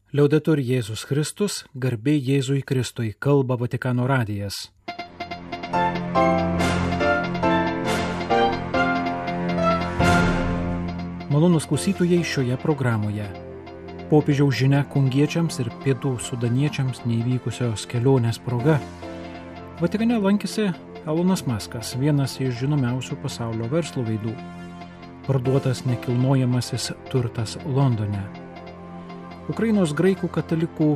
Liaudetur Jėzus Kristus, garbė Jėzui Kristui, kalba Vatikano radijas. Malonūs klausytojai šioje programoje. Popiežiaus žinia kongiečiams ir pietų sudaniečiams neįvykusios kelionės proga. Vatikane lankėsi Elonas Muskas, vienas iš žinomiausių pasaulio verslo veidų. Parduotas nekilnojamasis turtas Londone. Ukrainos graikų katalikų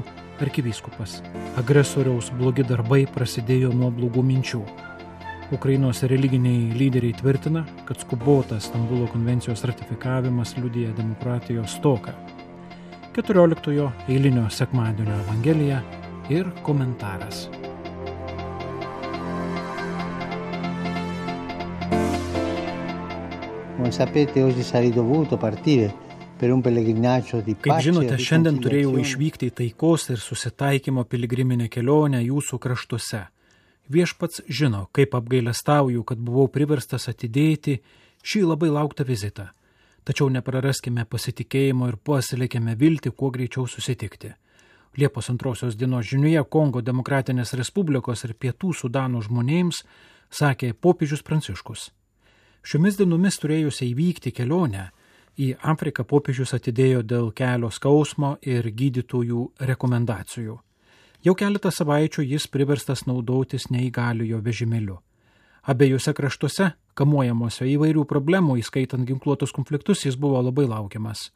arkivyskupas. Agresoriaus blogi darbai prasidėjo nuo blogų minčių. Ukrainos religiniai lyderiai tvirtina, kad skubotas Stambulo konvencijos ratifikavimas liudija demokratijos stoką. 14 eilinio sekmadienio evangelija ir komentaras. Come sapete, oggi sarei dovuto partire. Kaip žinote, šiandien turėjau išvykti į taikos ir susitaikymo piligriminę kelionę jūsų kraštuose. Viešpats žino, kaip apgailestauju, kad buvau priverstas atidėti šį labai lauktą vizitą. Tačiau nepraraskime pasitikėjimo ir puoselėkime viltį kuo greičiau susitikti. Liepos 2 dienos žinioje Kongo Demokratinės Respublikos ir Pietų Sudano žmonėms sakė popiežius Pranciškus. Šiomis dienomis turėjusią įvykti kelionę į Afriką popiežius atidėjo dėl kelio skausmo ir gydytojų rekomendacijų. Jau keletą savaičių jis priverstas naudotis neįgaliojo vežimėliu. Abiejose kraštuose, kamuojamuose įvairių problemų, įskaitant ginkluotus konfliktus, jis buvo labai laukiamas.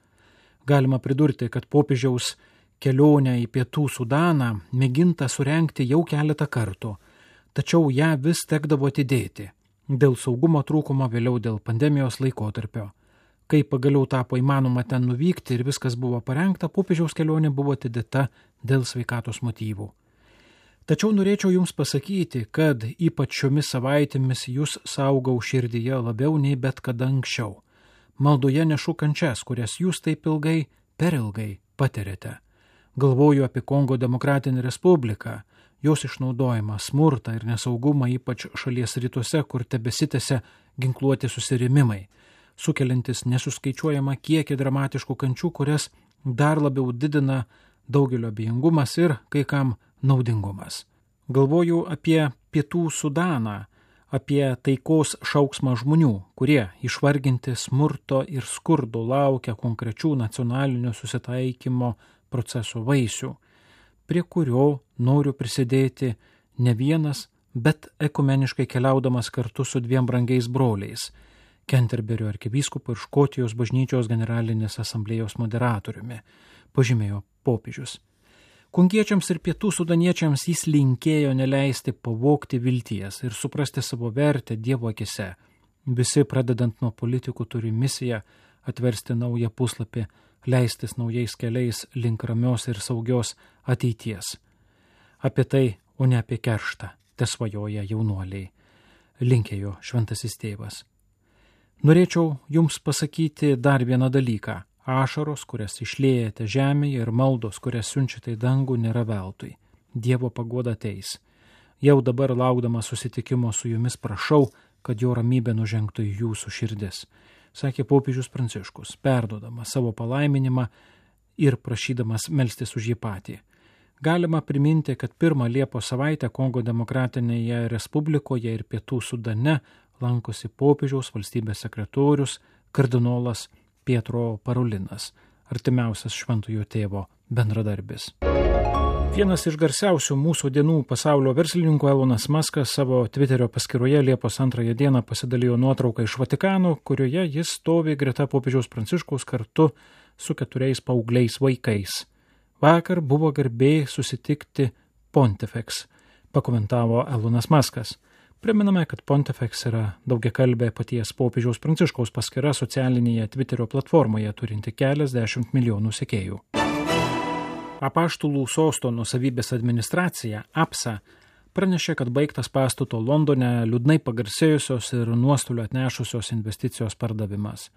Galima pridurti, kad popiežiaus kelionę į Pietų Sudaną mėginta surengti jau keletą kartų, tačiau ją vis tekdavo atidėti. Dėl saugumo trūkumo, vėliau dėl pandemijos laikotarpio. Kai pagaliau tapo įmanoma ten nuvykti ir viskas buvo parengta, popiežiaus kelionė buvo atidėta dėl sveikatos motyvų. Tačiau norėčiau jums pasakyti, kad ypač šiomis savaitėmis jūs saugau širdyje labiau nei bet kada anksčiau. Maldoje nešu kančias, kurias jūs taip ilgai, per ilgai patiriate. Galvoju apie Kongo Demokratinę Respubliką, jos išnaudojimą, smurtą ir nesaugumą, ypač šalies rytuose, kur tebesitęsia ginkluoti susirėmimai, sukeliantis nesuskaičiuojamą kiekį dramatiškų kančių, kurias dar labiau didina daugelio abejingumas ir kai kam naudingumas. Galvoju apie Pietų Sudaną, apie taikos šauksmą žmonių, kurie išvarginti smurto ir skurdo laukia konkrečių nacionalinio susitaikymo proceso vaisių, prie kurio noriu prisidėti ne vienas, bet ekumeniškai keliaudamas kartu su 2 brangiais broliais, Kenterberio arkivyskupu ir Škotijos bažnyčios generalinės asamblėjos moderatoriumi, pažymėjo popiežius. Kongiečiams ir pietų sudaniečiams jis linkėjo neleisti pavogti vilties ir suprasti savo vertę Dievo akise. Visi, pradedant nuo politikų, turi misiją atversti naują puslapį, leistis naujais keliais link ramios ir saugios ateities. Apie tai, o ne apie kerštą, tesvajoja jaunuoliai, linkėjo šventasis tėvas. Norėčiau jums pasakyti dar vieną dalyką. Ašaros, kurias išliejate žemėje, ir maldos, kurias siunčiate į dangų, nėra veltui. Dievo paguoda ateis. Jau dabar laukdama susitikimo su jumis prašau, kad jo ramybė nužengtų į jūsų širdis, sakė popiežius Pranciškus, perduodamas savo palaiminimą ir prašydamas melstis už jį patį. Galima priminti, kad 1 Liepos savaitę Kongo Demokratinėje Respublikoje ir Pietų Sudane lankosi popiežiaus valstybės sekretorius kardinolas Pietro Parolinas, artimiausias šventojo tėvo bendradarbis. Vienas iš garsiausių mūsų dienų pasaulio verslininkų Elonas Muskas savo Twitterio paskyroje Liepos 2 dieną pasidalijo nuotrauką iš Vatikano, kurioje jis stovi greta popiežiaus Pranciškaus kartu su 4 paaugliais vaikais. Vakar buvo garbė susitikti Pontifex, pakomentavo Elonas Muskas. Priminame, kad Pontifex yra daugiakalbė paties popiežiaus Pranciškaus paskyra socialinėje Twitterio platformoje turinti keliasdešimt milijonų sekėjų. Apaštalų sosto nuosavybės administracija, APSA, pranešė, kad baigtas pastato Londone liūdnai pagarsėjusios ir nuostolių atnešusios investicijos pardavimas.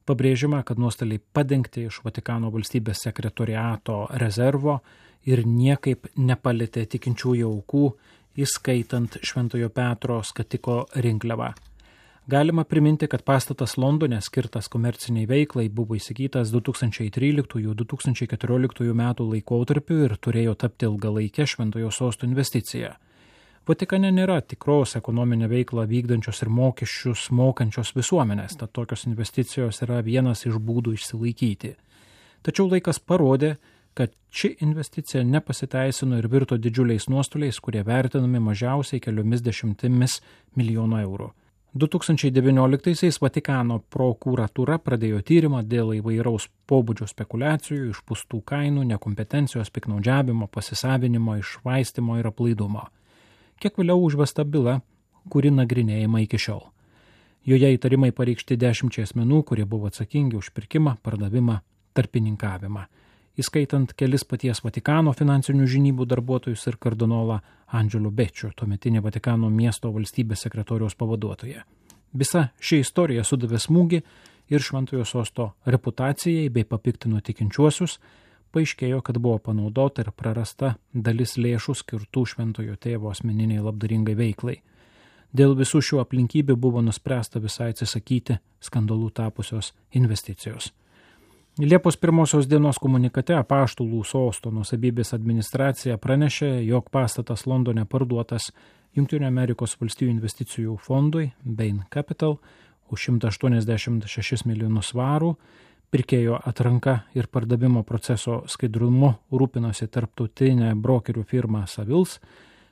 Pabrėžiama, kad nuostoliai padengti iš Vatikano valstybės sekretoriato rezervo ir niekaip nepalietė tikinčiųjų aukų, įskaitant Šventojo Petro skatiko rinkliavą. Galima priminti, kad pastatas Londone skirtas komerciniai veiklai buvo įsigytas 2013–2014 metų laikotarpiu ir turėjo tapti ilgalaikę Šventojo Sosto investiciją. Vatikane nėra tikros ekonominę veiklą vykdančios ir mokesčius mokančios visuomenės, tad tokios investicijos yra vienas iš būdų išsilaikyti. Tačiau laikas parodė, kad ši investicija nepasiteisino ir virto didžiuliais nuostoliais, kurie vertinami mažiausiai keliomis dešimtimis milijonų eurų. 2019-aisiais Vatikano prokuratūra pradėjo tyrimą dėl įvairaus pobūdžio spekulacijų, išpūstų kainų, nekompetencijos, piktnaudžiavimo, pasisavinimo, iššvaistymo ir aplaidumo. Kiek vėliau užvesta byla, kuri nagrinėjama iki šiol. Joje įtarimai pareikšti 10 asmenų, kurie buvo atsakingi už pirkimą, pardavimą, tarpininkavimą, įskaitant kelis paties Vatikano finansinių žinybų darbuotojus ir kardinolą Angelo Beccio, tuometinį Vatikano miesto valstybės sekretoriaus pavaduotoją. Visa ši istorija sudavė smūgį ir Šventojo Sosto reputacijai bei papiktino tikinčiuosius. Paaiškėjo, kad buvo panaudota ir prarasta dalis lėšų skirtų Šventojo Tėvo asmeniniai labdaringai veiklai. Dėl visų šių aplinkybių buvo nuspręsta visai atsisakyti skandalų tapusios investicijos. Liepos 1 dienos komunikate Apaštalų sosto nuosavybės administracija pranešė, jog pastatas Londone parduotas Jungtinių Amerikos valstijų investicijų fondui Bain Capital už 186 milijonus svarų. Pirkėjo atranka ir pardavimo proceso skaidrumu rūpinosi tarptautinė brokerių firma Savills.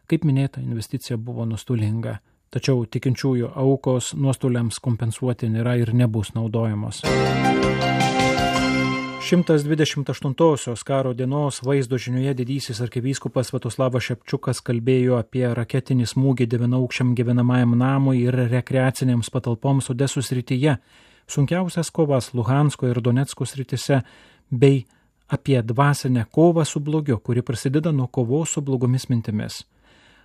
Kaip minėta, investicija buvo nuostolinga, tačiau tikinčiųjų aukos nuostoliams kompensuoti nėra ir nebus naudojamos. 128-osios karo dienos vaizdo žinioje didysis arkivyskupas Sviatoslavas Šepčiukas kalbėjo apie raketinį smūgį 9-aukščiam gyvenamajam namui ir rekreacinėms patalpoms Odesos srityje, sunkiausias kovas Luhansko ir Donecko srityse, bei apie dvasinę kovą su blogiu, kuri prasideda nuo kovos su blogomis mintimis.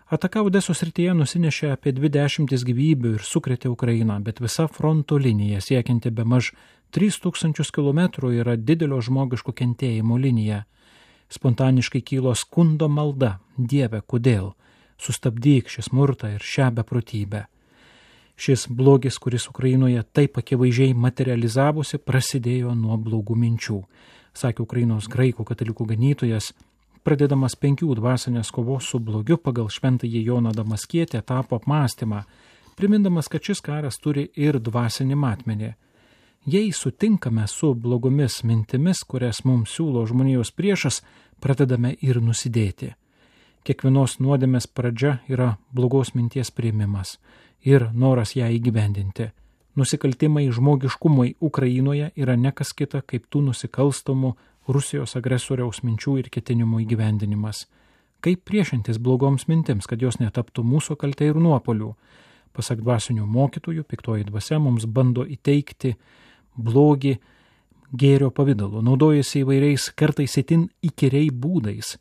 Ataka Odesos srityje nusinešė apie 20 gyvybių ir sukrėtė Ukrainą, bet visa fronto linija siekianti bemaž 3000 km yra didelio žmogiško kentėjimo linija. Spontaniškai kylo skundo malda: Dieve, kodėl? Sustabdyk šį smurtą ir šią beprotybę. Šis blogis, kuris Ukrainoje taip akivaizdžiai materializavosi, prasidėjo nuo blogų minčių, sakė Ukrainos graikų katalikų ganytojas, pradėdamas 5 dvasinės kovos su blogiu pagal šventąjį Joną Damaskietį etapų apmąstymą, primindamas, kad šis karas turi ir dvasinį matmenį. Jei sutinkame su blogomis mintimis, kurias mums siūlo žmonijos priešas, pradedame ir nusidėti. Kiekvienos nuodėmės pradžia yra blogos minties priėmimas ir noras ją įgyvendinti. Nusikaltimai žmogiškumui Ukrainoje yra nekas kita kaip tų nusikalstamų Rusijos agresoriaus minčių ir ketinimų įgyvendinimas. Kaip priešintis blogoms mintims, kad jos netaptų mūsų kalte ir nuopolių? Pasak dvasinių mokytojų, piktoji dvasia mums bando įteikti blogį gėrio pavidalu, naudojasi įvairiais, kartais itin įkyriai būdais,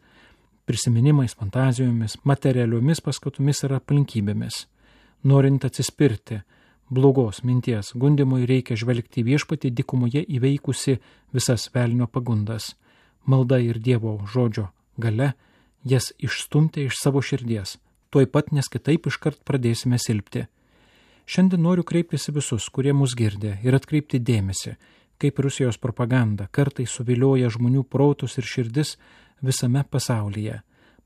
prisiminimais, fantazijomis, materialiomis paskatomis ir aplinkybėmis. Norint atsispirti blogos minties gundimui, reikia žvelgti viešpatį dykumoje įveikusi visas velnio pagundas. Malda ir Dievo žodžio galia jas išstumti iš savo širdies, tuoj pat, nes kitaip iškart pradėsime silpti. Šiandien noriu kreiptis į visus, kurie mus girdė, ir atkreipti dėmesį, kaip Rusijos propaganda kartais suvilioja žmonių protus ir širdis visame pasaulyje.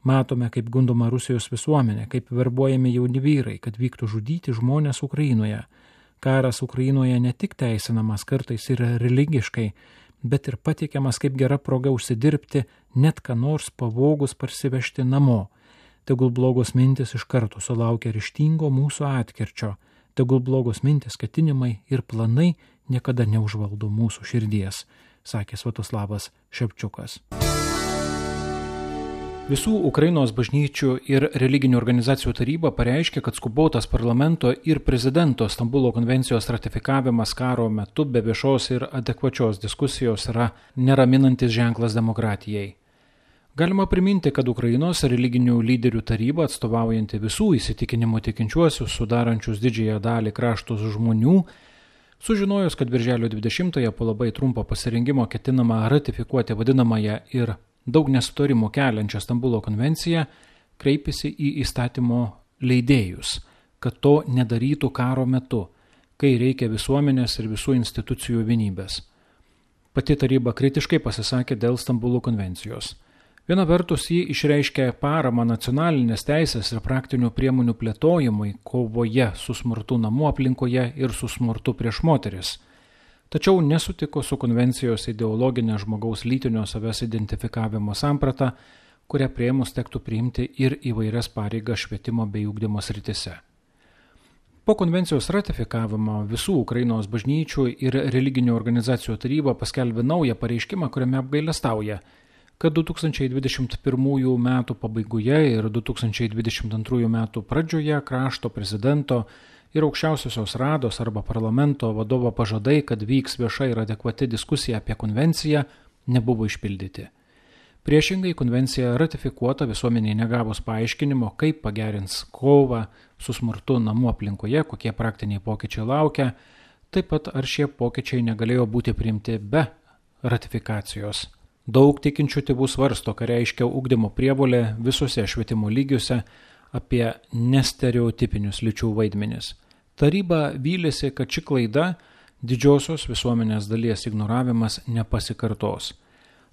Matome, kaip gundoma Rusijos visuomenė, kaip verbuojami jauni vyrai, kad vyktų žudyti žmonės Ukrainoje. Karas Ukrainoje ne tik teisinamas kartais ir religiškai, bet ir pateikiamas kaip gera proga užsidirbti, net ką nors pavogus parsivežti namo. Tegul blogos mintis iš karto sulaukia ryžtingo mūsų atkirčio. Tegul blogos mintis, ketinimai ir planai niekada neužvaldo mūsų širdies, sakė Sviatoslavas Šepčiukas. Visų Ukrainos bažnyčių ir religinių organizacijų taryba pareiškė, kad skubotas parlamento ir prezidento Stambulo konvencijos ratifikavimas karo metu be viešos ir adekvačios diskusijos yra neraminantis ženklas demokratijai. Galima priminti, kad Ukrainos religinių lyderių taryba, atstovaujanti visų įsitikinimų tikinčiuosius, sudarančius didžiąją dalį kraštos žmonių, sužinojus, kad birželio 20-ąją po labai trumpo pasirengimo ketinama ratifikuoti vadinamąją ir daug nesutarimų keliančią Stambulo konvenciją, kreipėsi į įstatymo leidėjus, kad to nedarytų karo metu, kai reikia visuomenės ir visų institucijų vienybės. Pati taryba kritiškai pasisakė dėl Stambulo konvencijos. Viena vertus ji išreiškė paramą nacionalinės teisės ir praktinių priemonių plėtojimui kovoje su smurtu namų aplinkoje ir su smurtu prieš moteris. Tačiau nesutiko su konvencijos ideologinė žmogaus lytinio savęs identifikavimo samprata, kurią priėmus tektų priimti ir įvairias pareigas švietimo bei ugdymo srityse. Po konvencijos ratifikavimo visų Ukrainos bažnyčių ir religinių organizacijų taryba paskelbė naują pareiškimą, kuriame apgailestauja, kad 2021 metų pabaigoje ir 2022 metų pradžioje krašto prezidento ir aukščiausiosios rados arba parlamento vadovo pažadai, kad vyks vieša ir adekvati diskusija apie konvenciją, nebuvo išpildyti. Priešingai, konvencija ratifikuota visuomeniai negavus paaiškinimo, kaip pagerins kovą su smurtu namų aplinkoje, kokie praktiniai pokyčiai laukia, taip pat ar šie pokyčiai negalėjo būti priimti be ratifikacijos. Daug tikinčių tėvų svarsto, ką reiškia ugdymo prievolė visose švietimo lygiuose apie nestereotipinius lyčių vaidmenis. Taryba vylėsi, kad ši klaida, didžiosios visuomenės dalies ignoravimas, nepasikartos.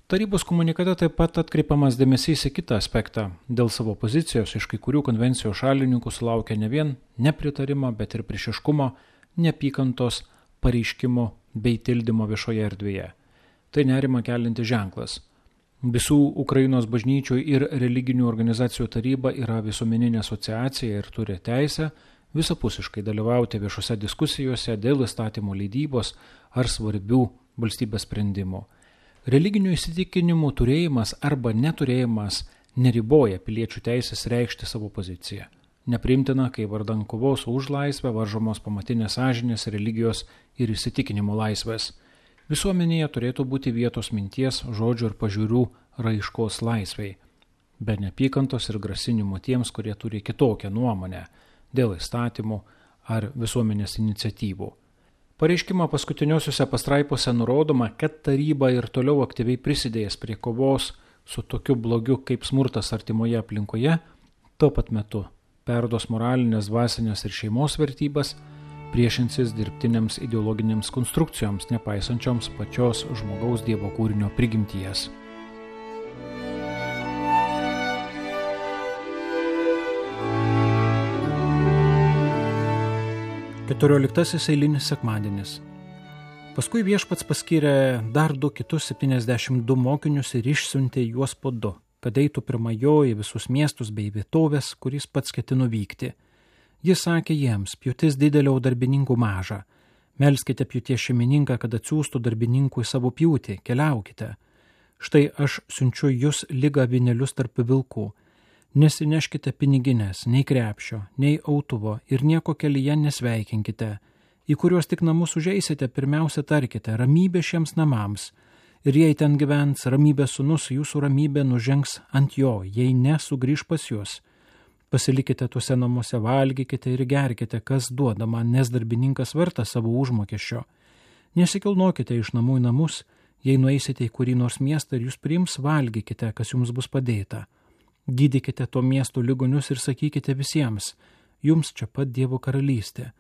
Tarybos komunikate taip pat atkreipiamas dėmesys į kitą aspektą. Dėl savo pozicijos iš kai kurių konvencijos šalininkų sulaukia ne vien nepritarimo, bet ir priešiškumo, neapykantos, pareiškimo bei tildymo viešoje erdvėje. Tai nerima kelinti ženklas. Visų Ukrainos bažnyčių ir religinių organizacijų taryba yra visuomeninė asociacija ir turi teisę visapusiškai dalyvauti viešose diskusijose dėl įstatymų leidybos ar svarbių valstybės sprendimų. Religinių įsitikinimų turėjimas arba neturėjimas neriboja piliečių teisės reikšti savo poziciją. Nepriimtina, kai vardan kovos už laisvę varžomos pamatinės sąžinės, religijos ir įsitikinimų laisvės. Visuomenėje turėtų būti vietos minties, žodžių ir pažiūrų raiškos laisvei, be neapykantos ir grasinimų tiems, kurie turi kitokią nuomonę dėl įstatymų ar visuomenės iniciatyvų. Pareiškimo paskutiniosiuose pastraipose nurodoma, kad taryba ir toliau aktyviai prisidėjęs prie kovos su tokiu blogiu kaip smurtas artimoje aplinkoje, tuo pat metu perduos moralinės, dvasinės ir šeimos vertybės, priešinsis dirbtinėms ideologinėms konstrukcijoms, nepaisančioms pačios žmogaus Dievo kūrinio prigimties. 14 eilinis sekmadienis. Paskui viešpats paskyrė dar 2 kitus 72 mokinius ir išsiuntė juos po 2, kad eitų pirma jo į visus miestus bei vietovės, kuris pats ketino vykti. Jis sakė jiems: pjūtis didelė, o darbininkų maža. Melskite pjūties šeimininką, kad atsiųstų darbininkų į savo pjūtį, keliaukite. Štai aš siunčiu jūs lyg avinėlius tarp vilkų. Nesineškite piniginės, nei krepšio, nei autuvo ir nieko kelyje nesveikinkite. Į kuriuos tik namus užeisite, pirmiausia tarkite: ramybė šiems namams. Ir jei ten gyvens ramybės sūnus, jūsų ramybė nužengs ant jo, jei ne, sugrįž pas jūs. Pasilikite tuose namuose, valgykite ir gerkite, kas duodama, nes darbininkas vertas savo užmokesčio. Nesikilnokite iš namų į namus, jei nueisite į kurį nors miestą ir jūs priims, valgykite, kas jums bus padėta. Gydykite to miesto ligonius ir sakykite visiems: jums čia pat Dievo karalystė.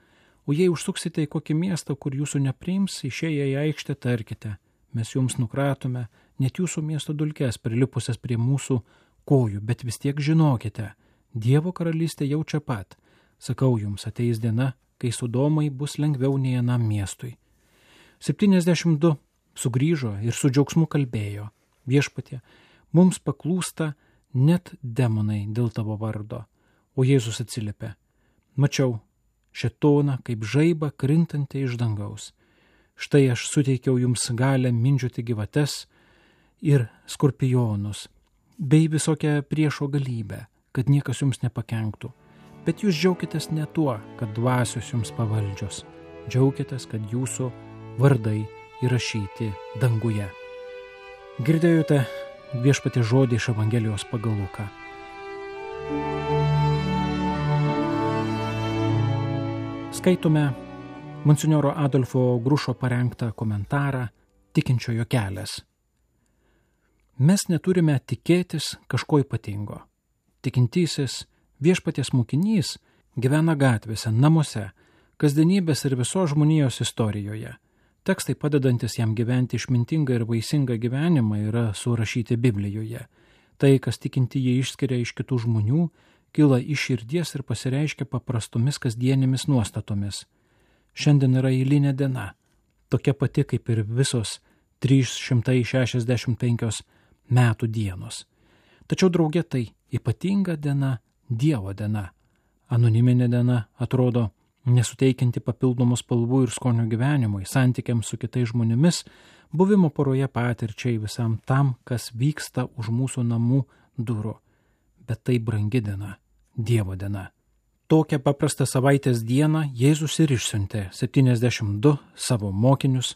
O jei užsuksite į kokį miestą, kur jūsų nepriims, išėję į aikštę tarkite: mes jums nukratome net jūsų miesto dulkes prilipusias prie mūsų kojų, bet vis tiek žinokite, Dievo karalystė jau čia pat. Sakau jums, ateis diena, kai Sodomai bus lengviau nei anam miestui. 72 sugrįžo ir su džiaugsmu kalbėjo: Viešpatie, mums paklūsta net demonai dėl tavo vardo. O Jėzus atsiliepė: mačiau šėtoną kaip žaibą krintantį iš dangaus. Štai aš suteikiau jums galę mindžioti gyvates ir skorpionus, bei visokią priešo galybę, kad niekas jums nepakenktų. Bet jūs džiaukitės ne tuo, kad dvasios jums pavaldžios. Džiaukitės, kad jūsų vardai įrašyti danguje. Girdėjote Viešpaties žodį iš Evangelijos pagal Luką. Skaitome monsinjoro Adolfo Grušo parengtą komentarą Tikinčiojo kelias. Mes neturime tikėtis kažko ypatingo. Tikintysis Viešpaties mokinys gyvena gatvėse, namuose, kasdienybės ir visos žmonijos istorijoje. Tekstai padedantis jam gyventi išmintingą ir vaisingą gyvenimą yra surašyti Biblijoje. Tai, kas tikinti jie išskiria iš kitų žmonių, kyla iš širdies ir pasireiškia paprastomis kasdienėmis nuostatomis. Šiandien yra eilinė diena, tokia pati kaip ir visos 365 metų dienos. Tačiau drauge tai ypatinga diena, Dievo diena. Anoniminė diena atrodo nesuteikianti papildomų spalvų ir skonio gyvenimui, santykiams su kitais žmonėmis, buvimo poroje patirčiai, visam tam, kas vyksta už mūsų namų durų. Bet tai brangi diena, Dievo diena. Tokią paprastą savaitės dieną Jėzus ir išsiuntė 72 savo mokinius,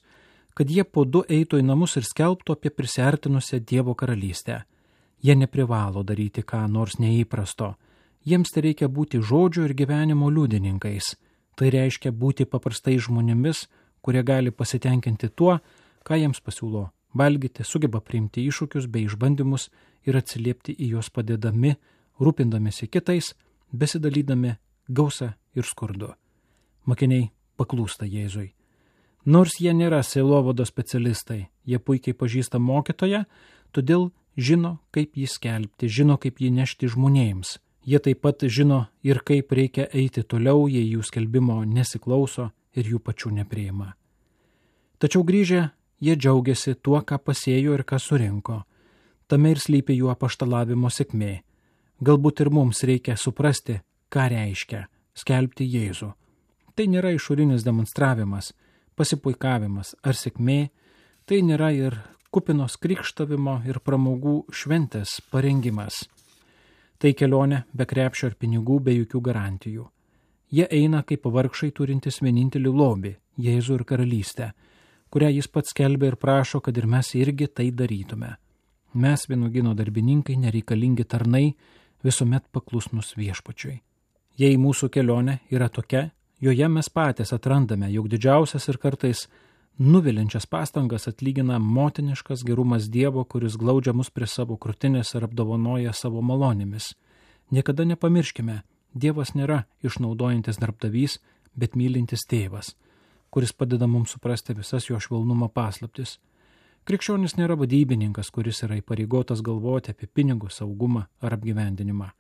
kad jie po 2 eitų į namus ir skelbtų apie prisiartinusią Dievo karalystę. Jie neprivalo daryti ką nors neįprasto. Jiems tai reikia būti žodžio ir gyvenimo liudininkais. Tai reiškia būti paprastai žmonėmis, kurie gali pasitenkinti tuo, ką jiems pasiūlo valgyti, sugeba priimti iššūkius bei išbandymus ir atsiliepti į juos padėdami, rūpindamėsi kitais, besidalydami gausa ir skurdu. Mokiniai paklūsta Jėzui. Nors jie nėra sielovados specialistai, jie puikiai pažįsta mokytoją, todėl žino, kaip jį skelbti, žino, kaip jį nešti žmonėms. Jie taip pat žino ir kaip reikia eiti toliau, jei jų skelbimo nesiklauso ir jų pačių nepriima. Tačiau grįžę, jie džiaugiasi tuo, ką pasėjo ir ką surinko. Tame ir slypi jų apaštalavimo sėkmė. Galbūt ir mums reikia suprasti, ką reiškia skelbti Jėzų. Tai nėra išorinis demonstravimas, pasipuikavimas ar sėkmė, tai nėra ir kupinos krikštavimo ir pramogų šventės parengimas. Tai kelionė be krepšio ir pinigų, be jokių garantijų. Jie eina kaip vargšai turintis vienintelį lobį, Jėzų ir karalystę, kurią jis pats skelbia ir prašo, kad ir mes irgi tai darytume. Mes, vynuogyno darbininkai, nereikalingi tarnai, visuomet paklusnus Viešpačiui. Jei mūsų kelionė yra tokia, joje mes patys atrandame, jog didžiausias ir kartais nuviliančias pastangas atlygina motiniškas gerumas Dievo, kuris glaudžia mus prie savo krūtinės ir apdovanoja savo malonėmis. Niekada nepamirškime, Dievas nėra išnaudojantis darbdavys, bet mylintis tėvas, kuris padeda mums suprasti visas jo švelnumo paslaptis. Krikščionis nėra vadybininkas, kuris yra įpareigotas galvoti apie pinigus, saugumą ar apgyvendinimą.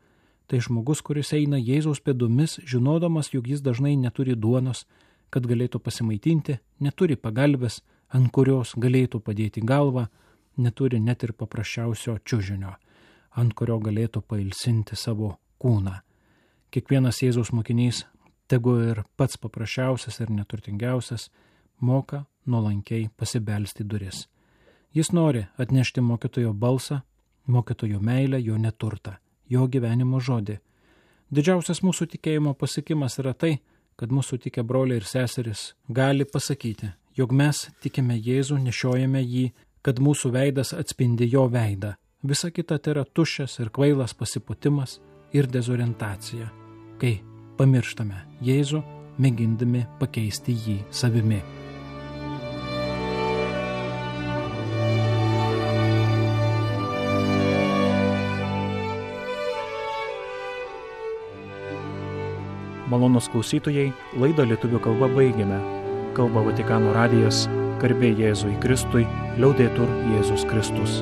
Tai žmogus, kuris eina Jėzaus pėdomis, žinodamas, jog jis dažnai neturi duonos, kad galėtų pasimaitinti, neturi pagalbės, ant kurios galėtų padėti galvą, neturi net ir paprasčiausio čiužinio, ant kurio galėtų pailsinti savo kūną. Kiekvienas Jėzaus mokinys, tegu ir pats paprasčiausias ir neturtingiausias, moka nuolankiai pasibelsti duris. Jis nori atnešti mokytojo balsą, mokytojo meilę, jo neturtą, jo gyvenimo žodį. Didžiausias mūsų tikėjimo pasiekimas yra tai, kad mūsų tikę broliai ir seserys gali pasakyti, jog mes tikime Jėzų, nešiojame jį, kad mūsų veidas atspindi jo veidą. Visa kita tai yra tuščias ir kvailas pasipūtimas ir dezorientacija, kai pamirštame Jėzų, mėgindami pakeisti jį savimi. Malonūs klausytojai, laidą lietuvių kalba baigėme. Kalba Vatikano radijas, garbė Jėzui Kristui, liaudetur Jėzus Kristus.